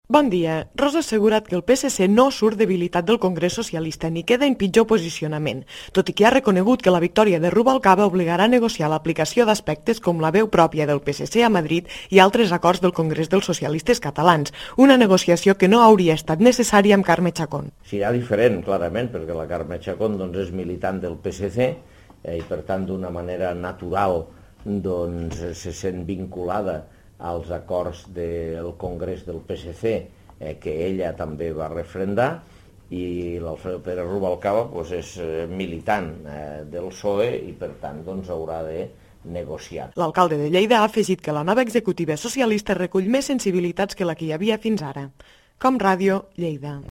Bon dia. Rosa ha assegurat que el PSC no surt debilitat del Congrés Socialista ni queda en pitjor posicionament, tot i que ha reconegut que la victòria de Rubalcaba obligarà a negociar l'aplicació d'aspectes com la veu pròpia del PSC a Madrid i altres acords del Congrés dels Socialistes Catalans, una negociació que no hauria estat necessària amb Carme Chacón. Serà diferent, clarament, perquè la Carme Chacón és militant del PSC i, per tant, d'una manera natural se sent vinculada als acords del Congrés del PSC que ella també va refrendar, i l'Alfredo Pérez Rubalcaba és militant del PSOE i per tant haurà de negociar. L'alcalde de Lleida ha afegit que la nova executiva socialista recull més sensibilitats que la que hi havia fins ara. Com Ràdio, Lleida.